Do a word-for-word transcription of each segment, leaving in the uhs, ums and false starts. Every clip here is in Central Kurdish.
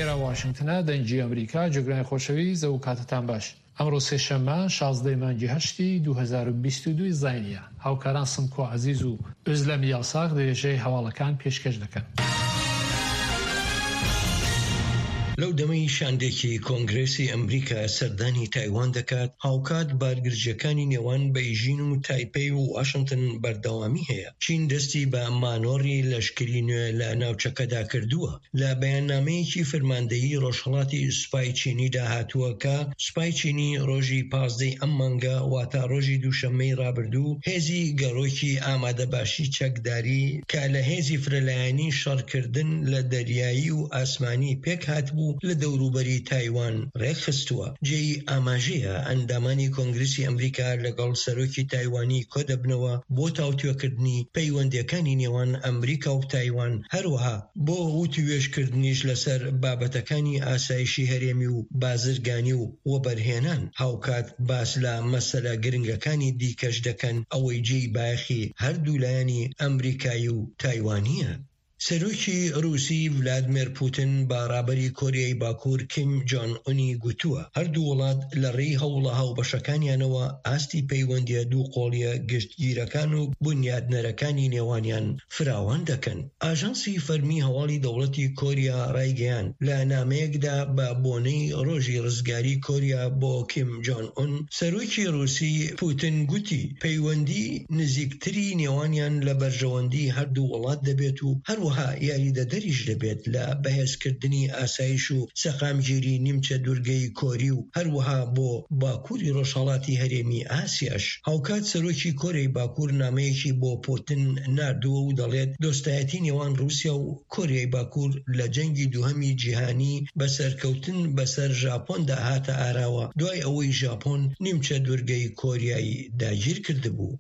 ئێرە واشنگتنە، دەنگی ئەمریکا. جێگرانی خۆشەویست، ئەو کاتەتان باش. ئەمڕۆ سێشەممە شازدە مانگی هەشتی دوو هەزار و بیست و دوو زاینیە. هاوکاران سمکۆ عەزیز و ئۆزلەم یاساق درێژەی هەواڵەکان پێشکەش دەکەن. لەو دەمەی شاندێکی کۆنگرێسی ئەمریکا سەردانی تایوان دەکات، هاوکات بارگرژیەکانی نێوان بەیژین و تایپەی و واشنگتن بەردەوامی هەیە. چین دەستی بە مانۆڕی لەشکری نوێ لە ناوچەکەدا کردووە. لە بەیاننامەیەکی فەرماندەیی ڕۆژهەڵاتی سوپای چینیدا هاتووە کە سوپای چینی ڕۆژی پازدەی ئەم مانگە، واتە ڕۆژی دووشەممەی ڕابردوو، هێزی گەڕۆکی ئامادەباشی چەکداری کە لە هێزی فرەلایەنی شەڕکردن لە دەریایی و ئاسمانی پێک هاتبوو لە دەوروبەری تایوان ڕێکخستووە. جێی ئاماژەیە ئەندامانی کۆنگرسی ئەمریکا لەگەڵ سەرۆکی تایوانی کۆدەبنەوە بۆ تاوتوێکردنی پەیوەندیەکانی نێوان ئەمریکا و تایوان، هەروەها بۆ وتوێژکردنیش لەسەر بابەتەکانی ئاسایشی هەرێمی و بازرگانی و وەبەرهێنان. هاوکات باس لە مەسەلە گرنگەکانی دیکەش دەکەن، ئەوەی جێی بایەخی هەردوو لایەنی ئەمریکایی و تایوانیە. سەرۆکی رووسی ڤلادیمێر پوتین بە ڕابەری کۆریای باکوور کیم جۆن ئونی گوتووە هەردوو وڵات لە ڕێی هەوڵە هاوبەشەکانیانەوە ئاستی پەیوەندیە دوو قۆڵیە گشتگیرەکان و بنیادنەرەکانی نێوانیان فراوان دەکەن. ئاژانسی فەرمی هەواڵی دەوڵەتی کۆریا ڕایگەیاند لە نامەیەکدا بە بۆنەی ڕۆژی ڕزگاری کۆریا بۆ کیم جۆن ئون، سەرۆکی رووسی پوتین گوتی پەیوەندی نزیکتری نێوانیان لە بەرژەوەندی هەردوو وڵات دەبێت و هەروەها یاریدەدەریش دەبێت لە بەهێزکردنی ئاسایش و سەقامگیری نیمچە دوورگەی کۆری و هەروەها بۆ باکووری ڕۆژهەڵاتی هەرێمی ئاسیاش. هاوکات سەرۆکی کۆریای باکوور نامەیەکی بۆ پوتین ناردووە و دەڵێت دۆستایەتی نێوان رووسیا و کۆریای باکوور لە جەنگی دووهەمی جیهانی بە سەرکەوتن بەسەر ژاپۆندا هاتە ئاراوە دوای ئەوەی ژاپۆن نیمچە دوورگەی کۆریای داگیر کردبوو.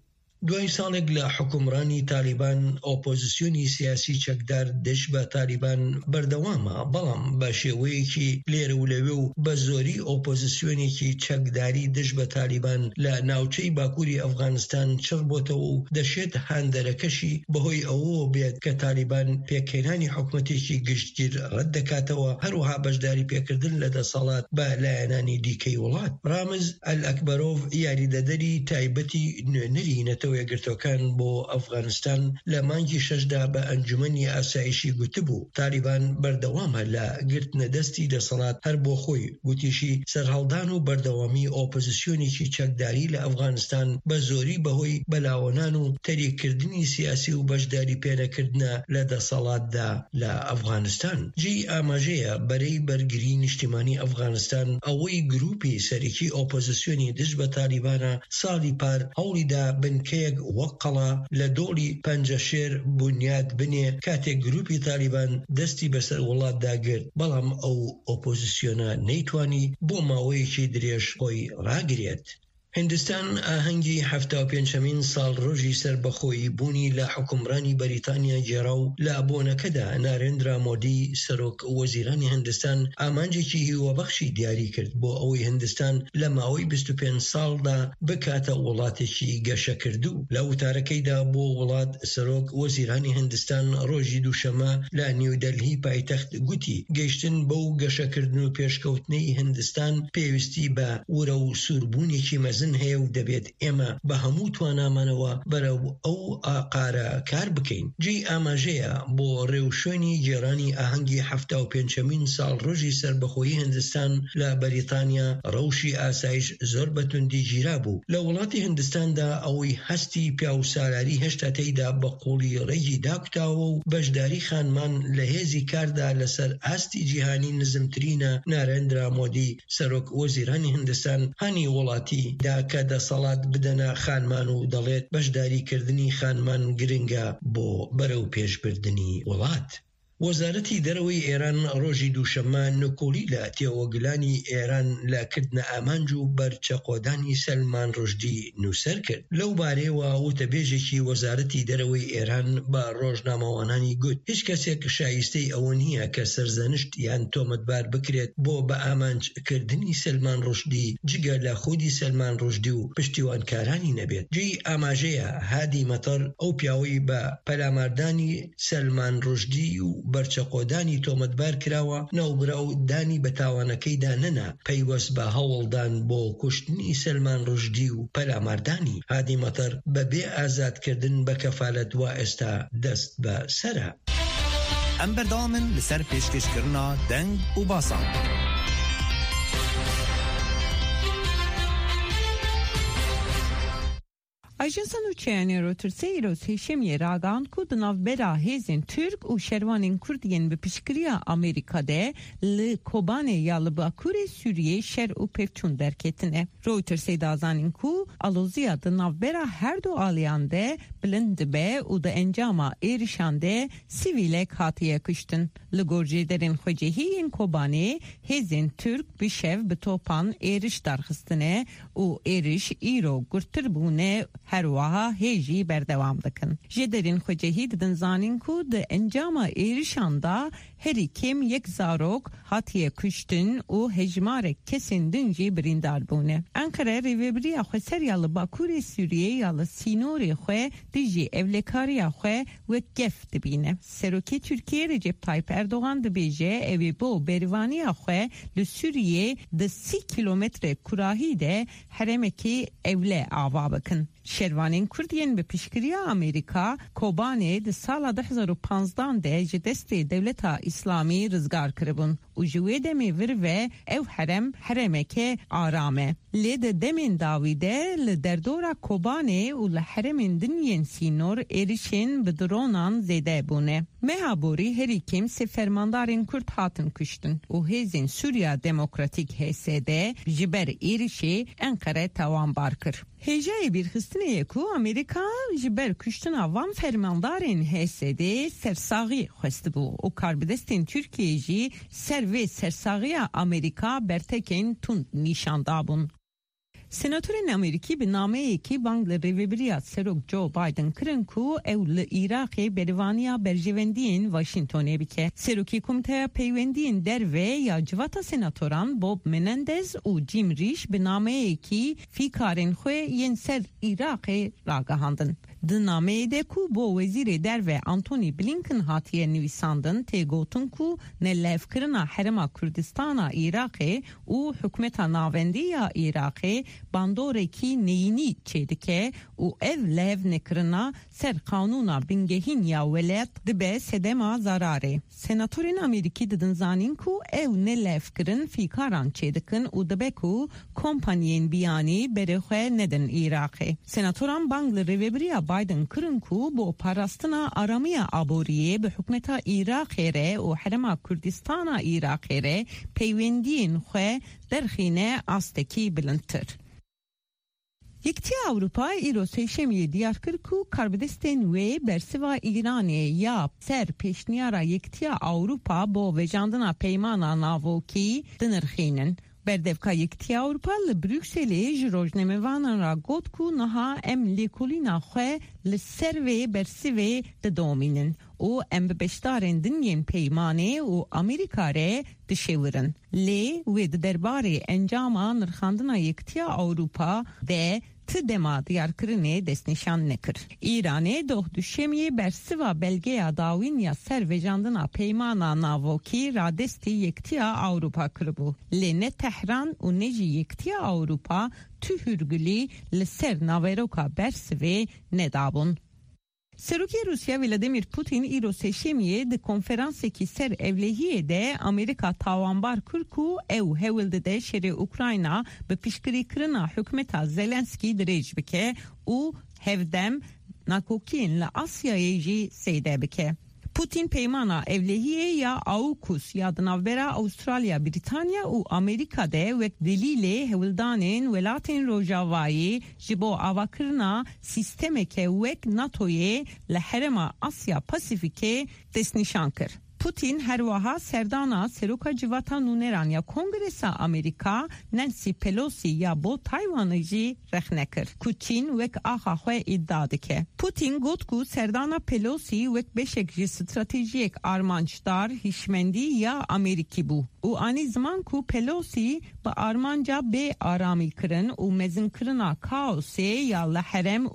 دوای ساڵێک لە حکومڕانی تالیبان، ئۆپۆزیسیۆنی سیاسی چەکدار دژ بە تالیبان بەردەوامە، بەڵام بە شێوەیەکی لێرە و لەوێ و بە زۆری ئۆپۆزیسیۆنێکی چەکداری دژ بە تالیبان لە ناوچەی باکووری ئەفغانستان چڕ بۆتەوە و دەشێت هاندەرەکەشی بەهۆی ئەوەوە بێت کە تالیبان پێکهێنانی حکومەتێکی گشتگیر ڕەت دەکاتەوە، هەروەها بەشداری پێکردن لە دەسەڵات بە لایەنانی دیکەی وڵات. ڕامز ئەلئەکبەرۆڤ یاریدەدەری تایبەتی نوێنەری نەتەوە یەکگرتووەکان بۆ ئەفغانستان لە مانگی شەشدا بە ئەنجومەنی ئاسایشی گوتبوو تالیبان بەردەوامە لە گرتنە دەستی دەسەڵات هەر بۆ خۆی. گوتیشی سەرهەڵدان و بەردەوامی ئۆپۆزیسیۆنێکی چەکداری لە ئەفغانستان بە زۆری بەهۆی بەلاوەنان و تەریککردنی سیاسی و بەشداری پێنەکردنە لە دەسەڵاتدا لە ئەفغانستان. جێی ئاماژەیە بەرەی بەرگری نیشتیمانی ئەفغانستان ئەوەی گروپی سەرەکی ئۆپۆزیسیۆنی دژ بە تالیبانە ساڵی پار هەوڵیدا بنکەیەک وەک قەڵا لە دۆڵی پەنجەشێر بنیاد بنێ کاتێک گروپی تالیبان دەستی بەسەر وڵاتدا گرت، بەڵام ئەو ئۆپۆزیسیۆنە نەیتوانی بۆ ماوەیەکی درێژ خۆی ڕاگرێت. هندستان ئاهەنگی حەفتا و پێنجەمین ساڵ ڕۆژی سەربەخۆیی بوونی لە حکومڕانی بەریتانیا گێڕا و لە بۆنەکەدا نارێندرا مۆدی سەرۆک وەزیرانی هندستان ئامانجێکی هیوابەخشی دیاری کرد بۆ ئەوەی هندستان لە ماوەی بیست و پێنج ساڵدا بکاتە وڵاتێکی گەشەکردوو. لە وتارەکەیدا بۆ وڵات سەرۆک وەزیرانی هندستان ڕۆژی دووشەمە لە نیودەلهی پایتەخت گوتی گەیشتن بەو گەشەکردن و پێشکەوتنەی هندستان پێویستی بە ورە و سووربوونێکی مەزن هەیە و دەبێت ئێمە بە هەموو توانامانەوە بەرەو ئەو ئاقارە کار بکەین. جێی ئاماژەیە بۆ ڕێوشوێنی گێڕانی ئاهەنگی حەفتا و پێنجەمین ساڵ ڕۆژی سەربەخۆیی هندستان لە بەریتانیا ڕەوشی ئاسایش زۆر بەتوندی گیرا بوو. لە وڵاتی هندستاندا ئەوەی هەستی پیاوسالاری هێشتا تێیدا بە قوڵی ڕێگی داکوتاوە و بەشداری خانمان لە هێزی کاردا لەسەر ئاستی جیهانی نزمترینە، نارێندرا مۆدی سەرۆک وەزیرانی هندستان هانی وڵاتی دا کە دەسەڵات بدەنە خانمان و دەڵێت بەشداریکردنی خانمان گرنگە بۆ بەرەو پێشبردنی وڵات. وەزارەتی دەرەوەی ئێران ڕۆژی دووشەممە نکۆڵی لە تێوەگلانی ئێران لە کردنە ئامانج و بەرچەقۆدانی سەلمان ڕوشدی نووسەر کرد. لەو بارەیەوە وتەبێژێکی وەزارەتی دەرەوەی ئێران بە ڕۆژنامەوانانی گوت هیچ کەسێک شایستەی ئەوە نییە کە سەرزەنشت یان تۆمەتبار بکرێت بۆ بە ئامانجکردنی سەلمان ڕوشدی جگە لە خودی سەلمان ڕوشدی و پشتیوانکارانی نەبێت. جێی ئاماژەیە هادی مەتەر ئەو پیاوەی بە پەلاماردانی سەلمان ڕوشدی و بەرچەقۆدانی تۆمەتبار کراوە، ناوبراو دانی بە تاوانەکەیدا نەنا پەیوەست بە هەوڵدان بۆ کوشتنی سەلمان ڕوشدی و پەلاماردانی. هادی مەتەر بەبێ ئازادکردن بە کەفالەت وا ئێستا دەست بە سەرە. ئەم بەردەوامن لەسەر پێشکەشکردنا دەنگ و باسان. ئاژانسە nûçeyanê Reutersê îro sêşemiyê ragihand ku di navbera hêzên Türk û şervanên Kurd yên bi piştgiriya Amerîka de li Kobanê ya li Bakurê Sûriyê şer û pevçûn derketine. Reutersê da zanîn ku aloziya di navbera her du aliyan de bilind dibe û di encama êrişan de sivîlek hatiye kuştin. Li gor jêderên xwecihî yên Kobanê hêzên Türk bi şev bi topan êriş darxistine û êriş îro gurtir bûne herwiha hê jî berdewam dikin. Jêderên xwecihî didin zanîn ku di encama êrişan da herî kêm yek zarok hatiye kuştin û hejmarek kesên din jî birîndar bûne. Enqere rêveberiya xweser ya li Bakurê Sûriyê ya li sînorê xwe dijî evlekariya xwe wek gef dibîne. Serokê Tirkiye Recep Tayyip Erdogan dibêje ew ê bo berivaniya xwe li Sûriyê di sî kîlometre kurahî de herêmekî ewle ava bikin. Şervanên Kurd yên bi piştgiriya Amerîka Kobanê di sala du hezar û panzdan de ji destê Dewleta İslamî rizgar kiribûn û ji wê demê vir ve ew herem herêmeke aram e. Lê di demên dawî de li derdora Kobanê û li herêmên din yên sînor êrişên bi dronan zêde bûne. Meha borî herî kêm sê fermandarên Kurd hatin kuştin û hêzên Sûriya Demokratîk H S D ji ber êrişê Enqere tawanbar kir. Hêjayê bîrxistinê ye ku Amerîka ji ber kuştina van fermandarên H S D sersaxî xwestibû û karbidestên Tirkiyeyê jî ser vê sersaxiya Amerîka bertekên tund nîşan dabûn. Senatorên Amerîkî bi nameyekî bang li rêveberiya Serok Joe Biden kirin ku ew li Iraqê berivaniya berjewendiyên Washingtonê bike. Serokê Komîteya Peywendiyên Derve ya Civata Senatoran Bob Menendez û Jim Risch bi nameyekî fîkarên xwe yên ser Iraqê ragihandin. Di nameyê de ku bo Wezîrê Derve Antony Blinken hatiye nivîsandin tê gotin ku nelevkirina Herêma Kurdistana Iraqê û hikûmeta navendî ya Iraqê bandorekî neyînî çêdike û ev levnekirina ser qanûna bingehîn ya welat dibe sedema zararê. Senatorên Amerîkî didin zanîn ku ew nelevkirin fîkaran çêdikin û dibe ku kompaniyên biyanî berê xwe nedin Iraqê. Senatoran bang li rêveberiya Biden kirin ku bo parastina aramiya aboriyê bi hikûmeta Iraqê re û Herêma Kurdistana Iraqê re peywendiyên xwe derxîne astekî bilindtir. Yekîtiya Ewropa îro sêşemiyê diyar kir ku karbidestên wê bersiva Îranê ya ser pêşniyara Yekîtiya Ewropa bo vejandina peymana navokî dinirxînin. Berdevka Yekîtiya Ewropa li Brukselê ji rojnamevanan re got ku niha em lêkolîna xwe li ser vê bersivê didomînin û em bi beşdarên din yên peymanê û Amerîka re dişêwirin. Lê wê di derbarê encama nirxandina Yekîtiya Ewropa de ti dema diyarkirinê destnîşan nekir. Îranê doh duşemiyê bersiva belgeya dawîn ya ser vejandina peymana navokî radestî Yekîtiya Ewropa kiribû. Lê ne Tehran û ne jî Yekîtiya Ewropa tu hûrgulî li ser naveroka bersivê nedabûn. Serokê Rûsya Vladimir Putin îro sêşemiyê di konferansekî ser evlehiyê de Amerîka tawanbar kir ku ew hewl dide şerê Ukrayna bi piştgirîkirina hikûmeta Zelenskî dirêj bike û hevdem nakokiyên li Asyayê jî zêde bike. Putin peymana evlehiyê ya AUKUS ya di navbera Avustralya, Britanya û Amerîka de wek delîlê hewldanên welatên Rojavayê ji bo avakirina sîstemeke wek NATOyê li herêma Asya Pasîfîkê destnîşan kir. Putin herwiha serdana Seroka Civata Nûneran ya Kongresa Amerîka Nancy Pelosi ya bo Taywanê jî rexne kir ku Çîn wek axa xwe îdia dike. Putin got ku serdana Pelosi wek beşek ji stratejiyek armancdar hişmendî ya Amerîkî bû û anî ziman ku Pelosi bi armanca bê aramîkirin û mezinkirina kaosê ya li herêm û